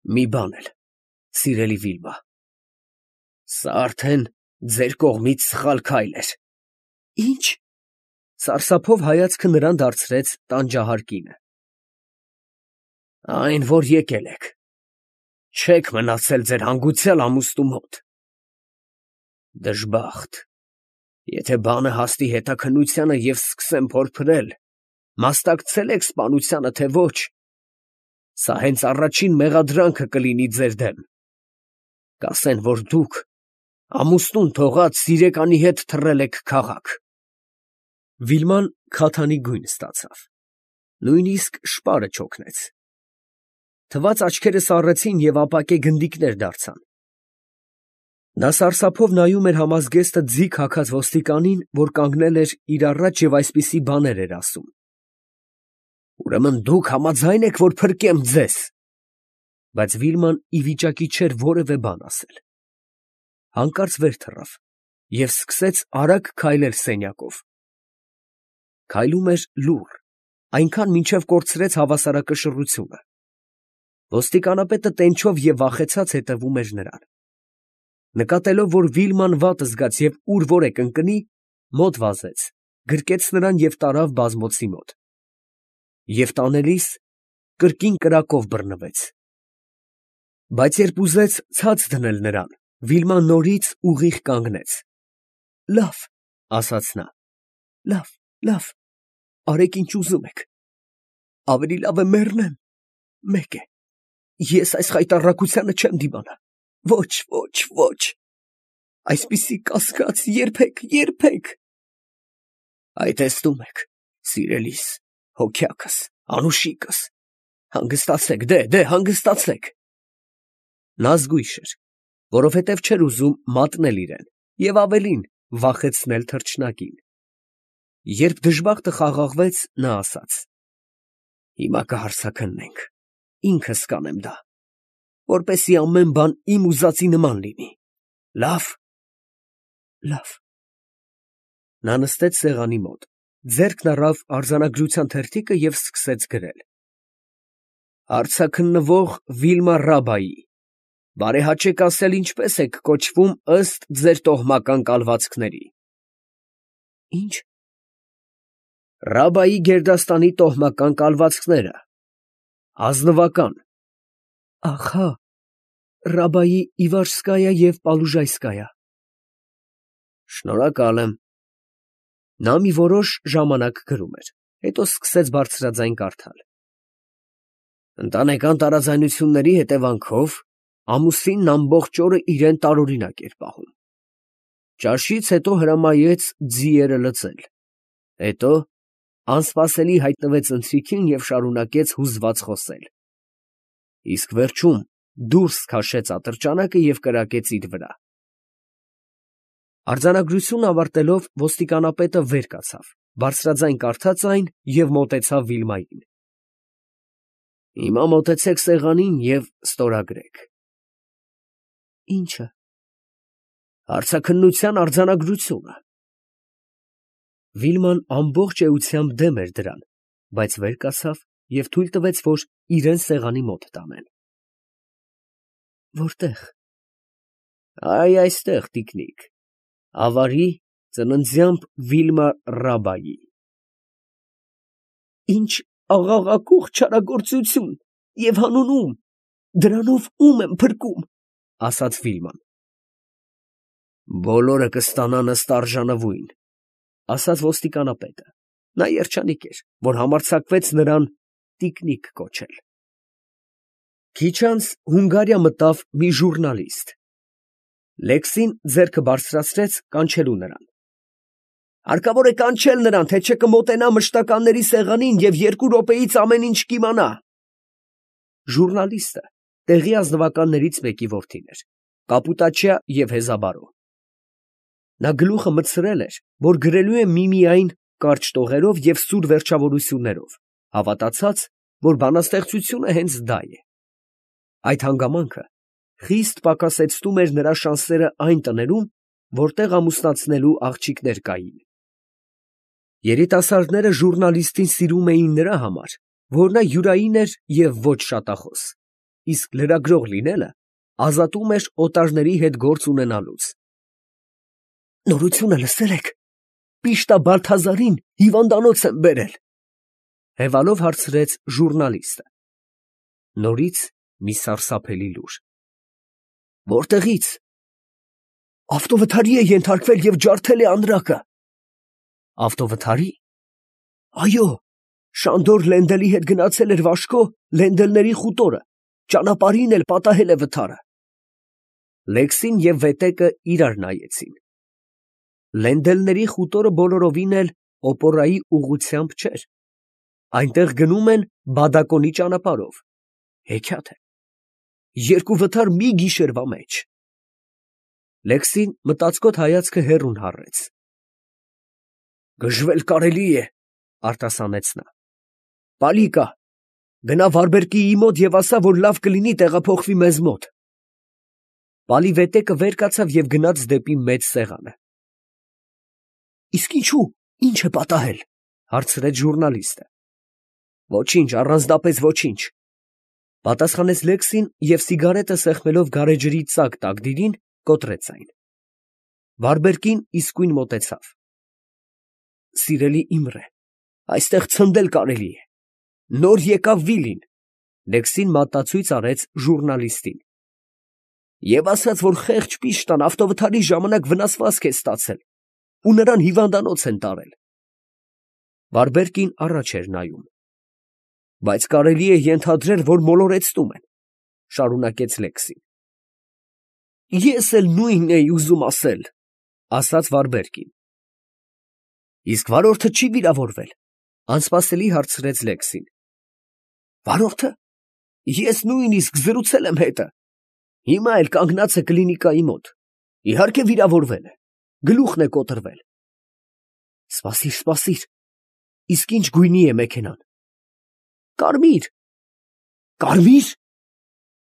Մի բան էլ, սիրելի Վիլմա, սա արդեն ձեր կողմից սխալ քայլ էր։ Ի՞նչ։ Սարսափով հայացքը նրան դարձրեց տանջահար կինը։ Այն, որ եկել եք, չեք մնացել ձեր հանգուցյալ ամուսնու մոտ։ Դժբախտ, եթե բանը հասնի հետաքննությանը և սկսեն փորփրել, մասնակցել եք սպանությանը, թե ոչ, սա հենց առաջին մեղադրանքը կլինի ձեր դեմ։ Կասեն, որ դուք ամուսնուն թողած սիրեկանի հետ թռել եք քաղաք։ Վիլման քաթանի գույն ստացավ, նույնիսկ շպարը չօգնեց։ Թված աչքերը սառեցին և ապակե գնդիկներ դարձան։ Նա սարսափով նայում էր համազգեստը ձիգ հագած ոստիկանին, որ կանգնել էր իր առաջ և այսպիսի բաներ էր ասում։ Ուրեմն դուք համաձայն եք, որ փրկեմ ձեզ։ Բայց Վիլման ի վիճակի չէր որևէ բան ասել։ Հանկարծ վեր թռավ և սկսեց արագ քայլել սենյակով։ Քայլում էր լուռ, այնքան մինչև կորցրեց հավասարակշռությունը։ Ոստիկանապետը տենչով և վախեցած հետևում էր նրան։ Նկատելով, որ Վիլման վատ զգաց և ուր որ է կընկնի, մոտ վազեց, գրկեց նրան և տարավ բազմոցի մոտ։ Եվ տանելիս կրկին կրակով բռնվեց։ Բայց երբ ուզեց ցած դնել նրան, Վիլման նորից ուղիղ կանգնեց։ Լավ, ասաց նա, լավ, արեք ինչ ուզում եք։ Ավելի լավ է մեռնեմ, մեկ է, ես այս խայտառակությանը չեմ դիմանա, ոչ, այսպիսի կասկած երբեք։ Այ տեսնում եք, սիրելիս, հոգյակս, անուշիկս, հանգստացեք, դե հանգստացեք։ Նա զգույշ էր, որովհետև չէր ուզում մատնել իրեն և ավելին վախեցնել թռչնակին։ Երբ դժբախտը խաղաղվեց, նա ասաց. Հիմա կհարցաքննենք, ինքս կանեմ դա, որպեսզի ամեն բան իմ ուզածի նման լինի, լավ։ Նա նստեց սեղանի մոտ, ձեռքն առավ արձանագրության թերթիկը և սկսեց գրել. Հարցաքննվող Վիլմա Ռաբայի, բարեհաճեք ասել ինչպես եք կոչվում ըստ ձեր տոհմական կալվածքների։ Ինչ։ Ռաբայի գերդաստանի տոհմական կալվածքները, ազնվական։ Ահա, Ռաբայի Իվարսկայա և Պալուժայսկայա։ Շնորհակալ եմ։ Նա մի որոշ ժամանակ գրում էր, հետո սկսեց բարձրաձայն կարդալ. Ընտանեկան տարաձայնությունների հետևանքով ամուսինն ամբողջ օրը իրեն տարօրինակ էր պահում։ Ճաշից հետո հրամայեց ձիերը լծել, հետո անսպասելի հայտնվեց ընթրիքին և շարունակեց հուզված խոսել։ Իսկ վերջում դուրս քաշեց ատրճանակը և կրակեց իր վրա։ Արձանագրությունն ավարտելով ոստիկանապետը վեր կացավ, բարձրաձայն կարդաց այն և մոտեցավ Վիլմային։ Հիմա մոտեցեք սեղանին և ստորագրեք։ Ի՞նչը։ Հարցաքննության արձանագրությունը։ Վիլման ամբողջ էությամբ դեմ էր դրան, բայց վեր կացավ և թույլ տվեց, որ իրան սեղանի մոտ տանեն։ Որտե՞ղ։ Այ այստեղ, տիկնիկ, ավարի ծննդյան Վիլմա Ռաբայի։ Ինչ աղաղակող չարագործություն և հանուն ում, դրանով ում եմ փրկում, ասաց Վիլման։ Բոլորը կստանան ըստ արժանվույն, ասաց ոստիկանապետը։ Նա երջանիկ էր, որ համարձակվեց նրան տիկնիկ կոչել։ Քիչ անց Հունգարիա մտավ մի ժուռնալիստ։ Լեքսին ձեռքը բարձրացրեց կանչելու նրան։ Հարկավոր է կանչել նրան, թե չէ կմոտենա մշտականների սեղանին և 2 րոպեից ամեն ինչ կիմանա։ Ժուռնալիստը տեղի ազնվականներից մեկի որդին էր, կապուտաչյա և հեզաբարո։ Նա գլուխը մտցրել էր, որ գրելու է միմիայն կարճ տողերով և սուր վերջավորություններով, հավատացած, որ բանաստեղծությունը հենց դա է։ Այդ հանգամանքը խիստ պակասեցնում էր նրա շանսերը այն տներում, որտեղ ամուսնացնելու աղջիկներ կային։ Երիտասարդները ժուռնալիստին սիրում էին նրա համար, որ նա յուրային էր և ոչ շատախոս, իսկ լրագրող լինելը ազատում էր օտարների հետ գործ ունենալուց։ Նորությունը լսել եք, Պիշտա Բալթազարին հիվանդանոց են բերել, հևալով հարցրեց ժուրնալիստը։ Նորից մի սարսափելի լուր։ Որտեղից։ Ավտովթարի է ենթարկվել և ջարդել է անրակը։ Ավտովթարի։ Այո, Շանդոր Լենդելի հետ գնացել էր Վաշկո Լենդելների խուտորը, ճանապարհին էլ պատահել է վթարը։ Լեքսին և Վետեկը իրար նայեցին։ Լենդելների խուտորը բոլորովին էլ օպորայի ուղղությամբ չէր։ Այնտեղ գնում են Բադակոնի ճանապարհով։ Հեքիաթ է։ Երկու վթար մի գիշերվա մեջ։ Լեքսին մտածկոտ հայացքը հեռուն հառեց։ Գժվել կարելի է, արտասանեց նա։ Պալի կա, գնա Վարբերկիի մոտ և ասա, որ լավ կլինի տեղափոխվի մեզ մոտ։ Պալի Վետեկը վեր կացավ և գնաց դեպի մեծ սեղանը։ Իսկ ինչու, ինչ է պատահել, հարցրեց ժուրնալիստը։ Ոչինչ, առանձնապես ոչինչ, պատասխանեց Լեքսին և սիգարետը սեղմելով գարեջրի ծակ տակդիրին, կոտրեց այն։ Վարբերկին իսկույն մոտեցավ։ Սիրելի Իմրե, այստեղ ցնդել կարելի է։ Նոր եկավ Վիլին, Լեքսին մատածույց արեց ժուրնալիստին։ Եվ ասաց, որ խեղճ Պիշտան ավտովթարի ժամանակ վնասվածք է ստացել ու նրան հիվանդանոց են տարել։ Վարբերկին առաջ էր նայում։ Բայց կարելի է ենթադրել, որ մոլորեցնում են, շարունակեց Լեքսին։ Ես էլ նույնն էի ուզում ասել, ասաց Վարբերկին։ Իսկ վարորդը չի վիրավորվել, անսպասելի հարցրեց Լեքսին։ Վարորդը։ Ես նույնիսկ զրուցել եմ հետը։ Հիմա էլ կանգնած է կլինիկայի մոտ։ Իհարկե վիրավորվել է, գլուխն է կոտրվել։ Սպասիր, սպասիր, իսկ ինչ գույնի է մեքենան։ Կարմիր։ Կարմիր։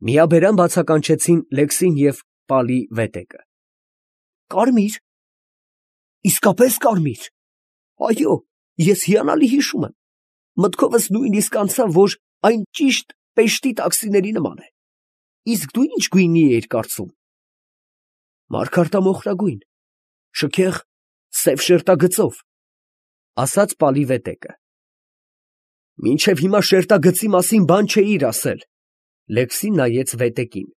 Միաբերան բացականչեցին Լեքսին և Պալի Վետեկը։ Կարմիր։ Իսկապես կարմիր։ Այո, ես հիանալի հիշում եմ։ Մտքովս նույնիսկ անցավ, որ այն ճիշտ Պեշտի տաքսիների նման է։ Իսկ դու ինչ գույնի էիր կարծում։ Մարգարտամոխրագույն, շքեղ, սև շերտագծով, ասաց Պալի Վետեկը։ Մինչև հիմա շերտագծի մասին բան չէիր ասել, Լեքսին նայեց Վետեկին։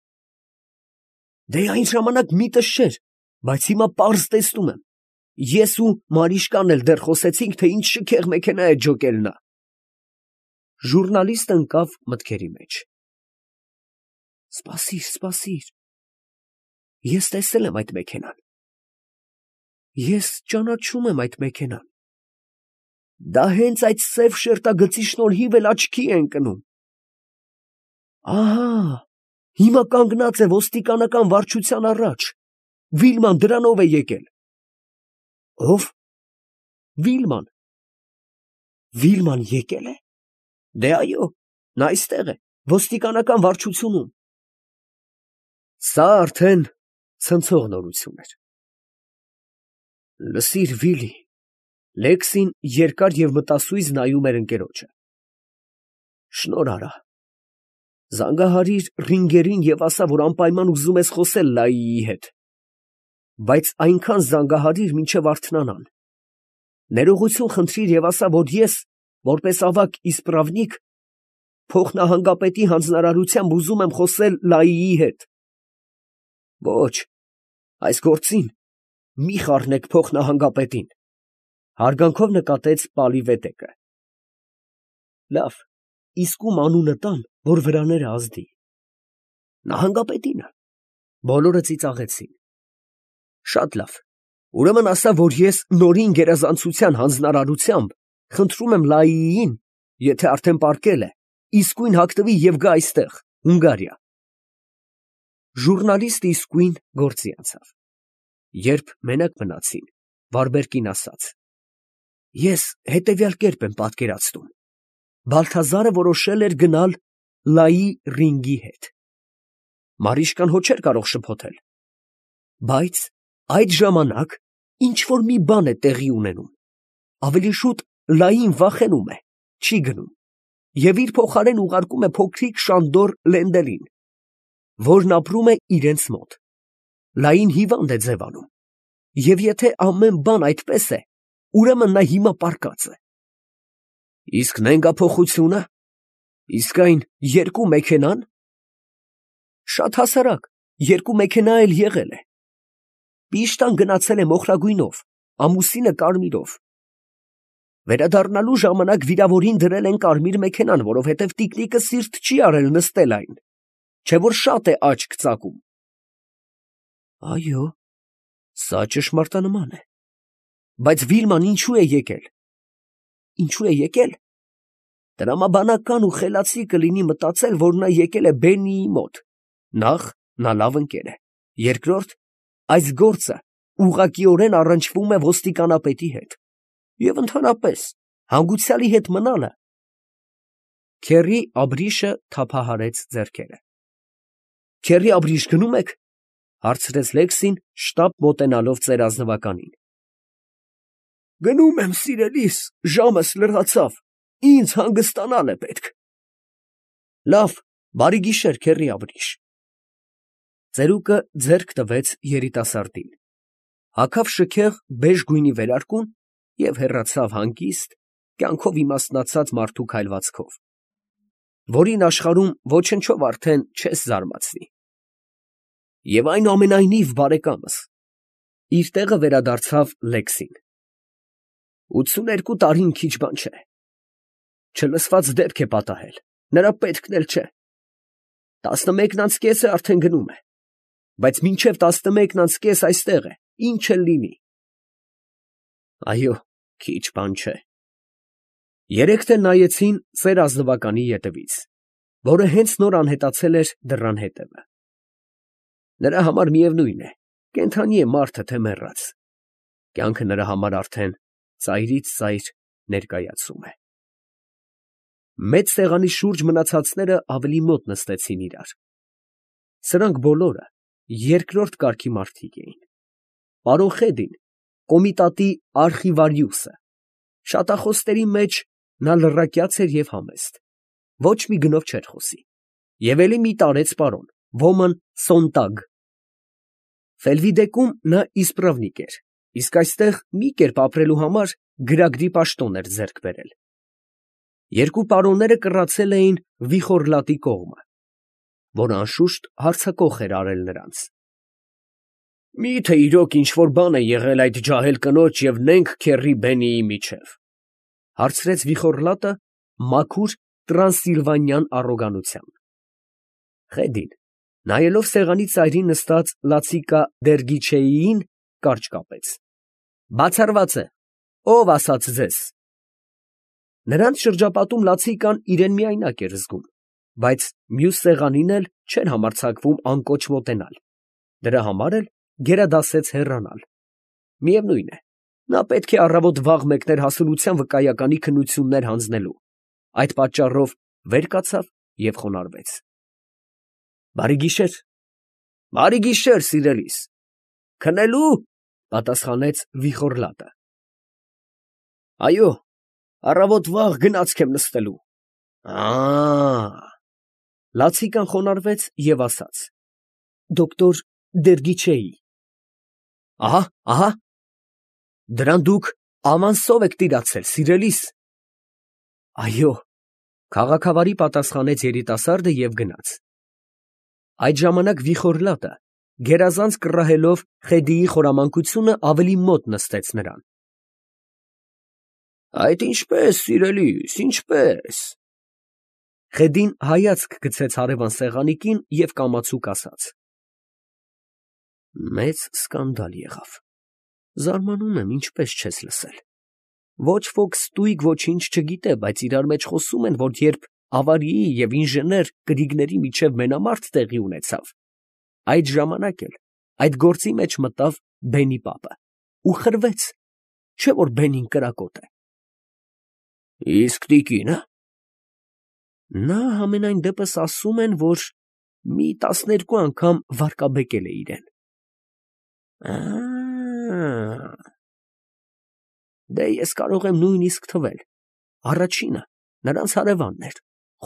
Դե այն ժամանակ միտս չէր, բայց հիմա պարզ տեսնում եմ։ Ես ու Մարիշկան էլ դեռ խոսեցինք, թե ինչ շքեղ մեքենա է ջոկել նա։ Ժուրնալիստը ընկավ մտքերի մեջ։ Սպասիր, սպասիր։ Ես տեսել եմ այդ մեքենան։ Ես ճանաչում եմ այդ մեքենան։ Դա հենց այդ սև շերտագծի շնորհիվ էլ աչքի է ընկնում։ Ահա, հիմա կանգնած է ոստիկանական վարչության առաջ։ Վիլման դրանով է եկել։ Ո՞վ։ Վիլման։ Վիլման եկել է։ Դե այո, նա այստեղ է, ոստիկանական վարչությունում։ Սա արդեն ցնցող նորություն էր։ Լսիր, Վիլի, Լեքսին երկար և մտասույզ նայում էր ընկերոջը։ Շնորհ արա։ Զանգահարիր Ռինգերին և ասա, որ անպայման ուզում ես խոսել Լայիի հետ։ Բայց այնքան զանգահարիր, մինչև արթնանան։ Ներողություն խնդրիր և ասա, որ ես, որպես ավագ իսպրավնիկ, փոխնահանգապետի հանձնարարությամբ ուզում եմ խոսել Լայիի հետ։ Ոչ, այս գործին մի խառնեք փոխնահանգապետին, հարգանքով նկատեց Պալի Վետեկը։ Լավ, իսկ ում անունը տամ, որ վրաները ազդի։ Նահանգապետինը։ Բոլորը ծիծաղեցին։ Շատ լավ, ուրեմն ասա, որ ես նորին գերազանցության հանձնարարությամբ խնդրում եմ Լայիին, եթե արդեն պառկել է, իսկույն հագնվի և գա այստեղ, Հունգարիա։ Ժուրնալիստը իսկույն գործի անցավ։ Երբ մենակ մնացին, Վարբերկին ասաց. Ես հետևյալ կերպ եմ պատկերացնում. Բալթազարը որոշել էր գնալ Լայի Ռինգի հետ։ Մարիշկան հո չէր կարող շփոթել։ Բայց այդ ժամանակ ինչ-որ մի բան է տեղի ունենում։ Ավելի շուտ Լային վախենում է, չի գնում, և իր փոխարեն ուղարկում է փոքրիկ Շանդոր Լենդելին, որն ապրում է իրենց մոտ, լայն հիվանդ է ձևանում, և եթե ամեն բան այդպես է, ուրեմն նա հիմա պառկած է։ Իսկ նենգափոխությունը, իսկ այն երկու մեքենան, շատ հասարակ, երկու մեքենա էլ եղել է։ Պիշտան գնացել է մոխրագույնով, ամուսինը կարմիրով։ Վերադառնալու ժամանակ վիրավորին դրել են կարմիր մեքենան, որովհետև տիկնիկը սիրտ չի արել նստել այն, չէ որ շատ է աչք ծակում։ Այո, սա ճշմարտանման է։ Բայց Վիլման ինչու է եկել։ Ինչու է եկել։ Տրամաբանական ու խելացի կլինի մտածել, որ նա եկել է Բեննիի մոտ։ Նախ, նա լավ ընկեր է։ Երկրորդ, այս գործը ուղղակիորեն առնչվում է ոստիկանապետի հետ։ Եվ ընդհանրապես, հանգուցյալի հետ մնալը։ Քեռի Աբրիշը թափահարեց ձեռքերը։ Քեռի Աբրիշ գնում եք, հարցրեց Լեքսին, շտապ մոտենալով ծեր ազնվականին։ Գնում եմ, սիրելիս, ժամս լրացավ, ինձ հանգստանալ է պետք։ Լավ, բարի գիշեր, քեռի Աբրիշ։ Ծերուկը ձեռք տվեց երիտասարդին, հագավ շքեղ բեժ գույնի վերարկուն և հեռացավ հանգիստ, կյանքով իմաստնացած մարդու քայլվածքով, որին աշխարհում ոչնչով արդեն չես զարմացնի։ Եվ այնուամենայնիվ, բարեկամս, իր տեղը վերադարձավ Լեքսին, 82 տարին քիչ բան չէ, չլսված դեպք է պատահել, նրա պետքն էլ չէ, 11:30 արդեն գնում է, բայց մինչև 11:30 այստեղ է, ինչ էլ լինի։ Այո, քիչ բան չէ։ Երեքն էլ նայեցին ծեր ազնվականի ետևից, որը հենց նոր անհետացել էր դռան հետևը։ Նրա համար միևնույն է, կենդանի է մարդը, թե մեռած, կյանքը նրա համար արդեն ծայրից ծայր ներկայացում է։ Մեծ սեղանի շուրջ մնացածները ավելի մոտ նստեցին իրար։ Սրանք բոլորը երկրորդ կարգի մարդիկ էին։ Պարոն Խեդին, կոմիտատի արխիվարիուսը, շատախոսների մեջ նա լռակյաց էր և համեստ, ոչ մի գնով չէր խոսի, և էլի մի տարեց պարոն, ոմն Սոնտագ։ Ֆելվիդեկում նա իսպրավնիկ էր, իսկ այստեղ մի կերպ ապրելու համար գրագրի պաշտոն էր ձեռք բերել։ Երկու պարոնները կռացել էին Վիխորլատի կողմը, որ անշուշտ հարձակող էր արել նրանց։ Մի՞թե իրոք ինչ֊որ բան է եղել այդ ջահել կնոջ և նենգ քեռի Բենիի միջև, հարցրեց Վիխորլատը մաքուր տրանսիլվանյան առոգանությամբ։ Խեդին, նայելով սեղանի ծայրին նստած Լացիկա Դերգիչեիին, կարճ կապեց։ Բացառված է, ով ասաց ձեզ։ Նրանց շրջապատում Լացիկան իրեն միայնակ էր զգում, բայց մյուս սեղանին էլ չէր համարձակվում անկոչ մոտենալ, դրա համար էլ գերադասեց հեռանալ։ Միևնույն է, նա պետք է առավոտ վաղ մեկներ հասունության վկայականի քննություններ հանձնելու, այդ պատճառով վեր կացավ և խոնարհվեց։ Բարի գիշեր։ Բարի գիշեր, սիրելիս։ Քնելու, պատասխանեց Վիխորլատը։ Այո, առավոտ վաղ գնացք եմ նստելու։ Լացիկան խոնարհվեց և ասաց. Դոկտոր Դերգիչեի։ Ահա, դրան դուք ամանսով եք տիրացել, սիրելիս։ Այո, քաղաքավարի պատասխանեց երիտասարդը և գնաց։ Այդ ժամանակ Վիխորլատը, գերազանց կռահելով Խեդիի խորամանկությունը, ավելի մոտ նստեց նրան։ Այդ ինչպես, սիրելիս, ինչպես։ Խեդին հայացք գցեց հարևան սեղանիկին և կամացուկ ասաց. Մեծ սկանդալ եղավ։ Զարմանում եմ, ինչպես չես լսել։ Ոչ ոք ստույգ ոչինչ չգիտե, բայց իրար մեջ խոսում են, որ երբ ավարիի և ինժեներ կրիգների միջև մենամարտ տեղի ունեցավ, այդ ժամանակ էլ այդ գործի մեջ մտավ Բենի պապը ու խրվեց, չէ՞ որ Բենին կրակոտ է։ Իսկ տիկինը։ Նա համենայն դեպս ասում են, որ մի 12 անգամ վարկաբեկել է իրեն։ Դե ես կարող եմ նույնիսկ թվել. առաջինը նրանց հարևանն էր,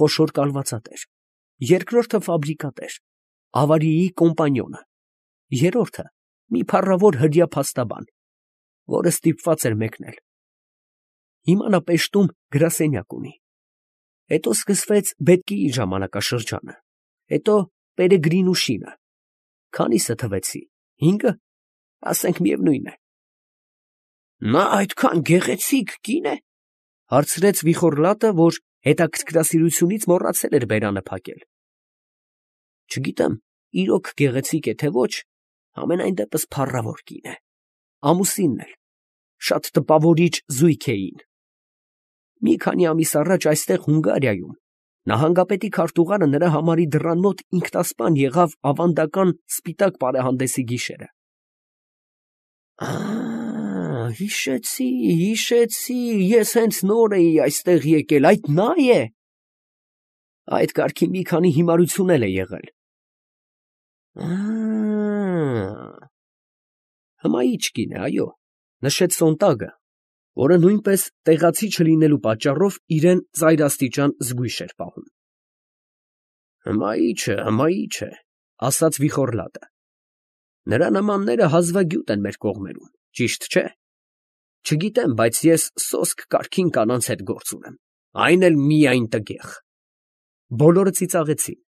խոշոր կալվածատեր, երկրորդը ֆաբրիկատեր, ավարիի կոմպանյոնը, երրորդը մի փառավոր հրեա փաստաբան, որը ստիպված էր մեկնել։ Հիմա նա Պեշտում գրասենյակ ունի։ Հետո սկսվեց Բետկիի ժամանակաշրջանը, հետո Պերեգրինուշինը։ Քանիսը թվեցի, 5-ը, ասենք միևնույն է։ Նա այդքան գեղեցիկ կին է, հարցրեց Վիխոռլատը, որ հետաքրքրասիրությունից մոռացել էր բերանը փակել։ Չգիտեմ, իրոք գեղեցիկ է թե ոչ, համենայն դեպս փառավոր կին է, ամուսինն էլ, շատ տպավորիչ զույգ էին։ Մի քանի ամիս առաջ այստեղ Հունգարիայում նահանգապետի քարտուղարը նրա համարի դռան մոտ ինքնասպան եղավ ավանդական սպիտակ պարահանդեսի գիշերը։ Հիշեցի, ես հենց նոր էի այստեղ եկել, այդ նա է։ Այդ կարգի մի քանի հիմարություն էլ է եղել։ Հմայիչ կին է, այո, նշեց Սոնտագը, որը նույնպես տեղացի չլինելու պատճառով իրեն ծայրաստիճան զգույշ էր պահում։ Հմայիչ է, ասաց Վիխոռլատը։ Նրա նմանները հազվագյուտ են մեր կողմերում, ճիշտ չէ։ Չգիտեմ, բայց ես սոսկ կարգին կանանց հետ գործ ունեմ, այն էլ միայն տգեղ։ Բոլորը ծիծաղեցին։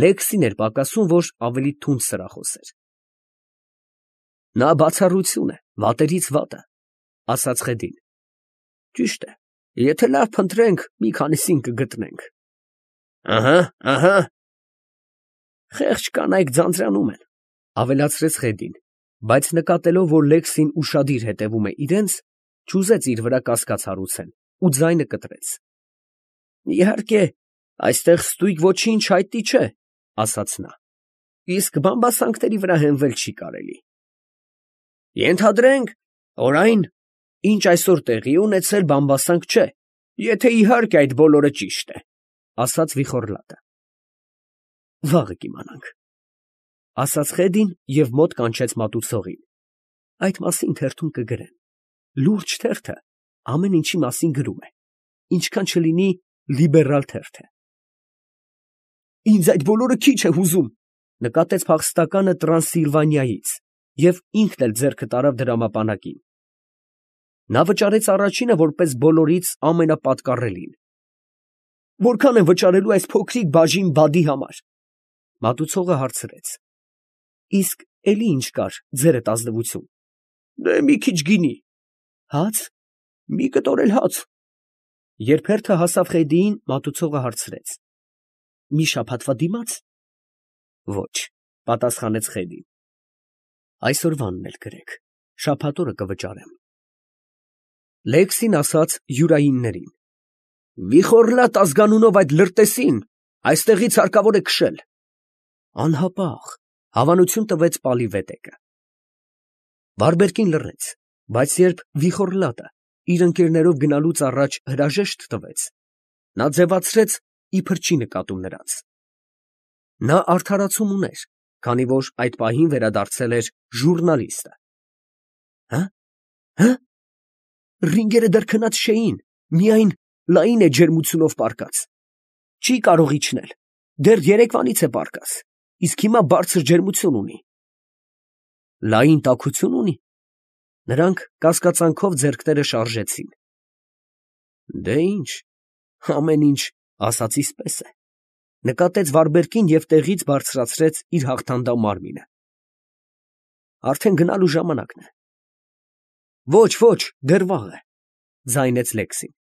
Լեքսին էր պակասում, որ ավելի թունդ սրախոս էր։ Նա բացառություն է, վատերից վատը, ասաց Խեդին։ Ճիշտ է, եթե լավ փնտրենք, մի քանիսին կգտնենք։ Ահա։ Խեղճ կանայք ձանձրանում են, ավելացրեց Խեդին, բայց նկատելով, որ Լեքսին ուշադիր հետևում է իրենց, չուզեց իր վրա կասկած հարուցել ու ձայնը կտրեց։ Իհարկե, այստեղ ստույգ ոչինչ հայտնի չէ, ասաց նա, իսկ բամբասանքների վրա հենվել չի կարելի։ Ենթադրենք, որ այն, ինչ այսօր տեղի ունեցել, բամբասանք չէ, եթե իհարկե այդ բոլորը ճիշտ է, ասաց Վիխոռլատը։ Վաղը կիմանանք, ասաց Խեդին և մոտ կանչեց մատուցողին։ Այդ մասին թերթում կգրեն։ Լուրջ թերթը ամեն ինչի մասին գրում է, ինչքան չլինի լիբերալ թերթ է։ Ինձ այդ բոլորը քիչ է հուզում, նկատեց փախստականը Տրանսիլվանիայից և ինքն էլ ձեռքը տարավ դրամապանակին։ Նա վճարեց առաջինը որպես բոլորից ամենապատկառելին։ Որքան են վճարելու այս փոքրիկ բաժին բադի համար։ Մատուցողը հարցրեց. Իսկ էլի ինչ կար ձերդ ազնվություն։ Դե մի քիչ գինի։ Հաց։ Մի կտոր էլ հաց։ Երբ հերթը հասավ Խեդիին, մատուցողը հարցրեց. Մի շաբաթվա դիմաց։ Ոչ, պատասխանեց Խեդին։ Այսօրվանն էլ գրեք, շաբաթ օրը կվճարեմ։ Լեքսին ասաց յուրայիններին. Վիխոռլատ ազգանունով այդ լրտեսին այստեղից հարկավոր է քշել։ Անհապաղ, հավանություն տվեց Պալիվետեկը։ Վարբերկին լռեց, բայց երբ Վիխոռլատը իր ընկերներով գնալուց առաջ հրաժեշտ տվեց, նա ձևացրեց, իբր չի նկատում նրանց։ Նա արդարացում ուներ, քանի որ այդ պահին վերադարձել էր ժուռնալիստը։ Հը։ Ռինգերը դեռ քնած չէին, միայն լայն է ջերմությունով պառկած։ Չի կարող իջնել, դեռ երեկվանից է պառկած, իսկ հիմա բարձր ջերմություն ունի։ Լայն տաքություն ունի։ Նրանք կասկածանքով ձեռքները շարժեցին։ Դե ինչ, ամեն ինչ ասածիս պես է, նկատեց Վարբերկին և տեղից բարձրացրեց իր հաղթանդամ մարմինը։ Արդեն գնալու ժամանակն է։ Ոչ, դեռ վաղ է, ձայնեց Լեքսին։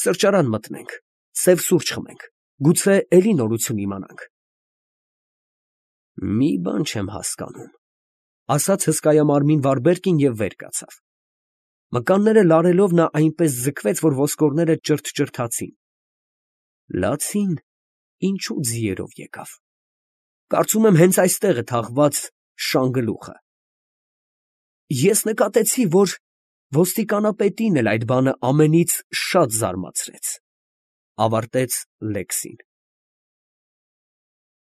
Սրճարան մտնենք, սև սուրճ խմենք, գուցե էլի նորություն իմանանք։ Մի բան չեմ հասկանում, ասաց հսկայամարմին Վարբերկին և վեր կացավ։ Մկանները լարելով նա այնպես ձգվեց, որ ոսկորները ճրթճրթացին։ Լացին ինչու ձիերով եկավ։ Կարծում եմ հենց այստեղ է թաղված շանգլուխը։ Ես նկատեցի, որ ոստիկանապետին էլ այդ բանը ամենից շատ զարմացրեց, ավարտեց Լեքսին։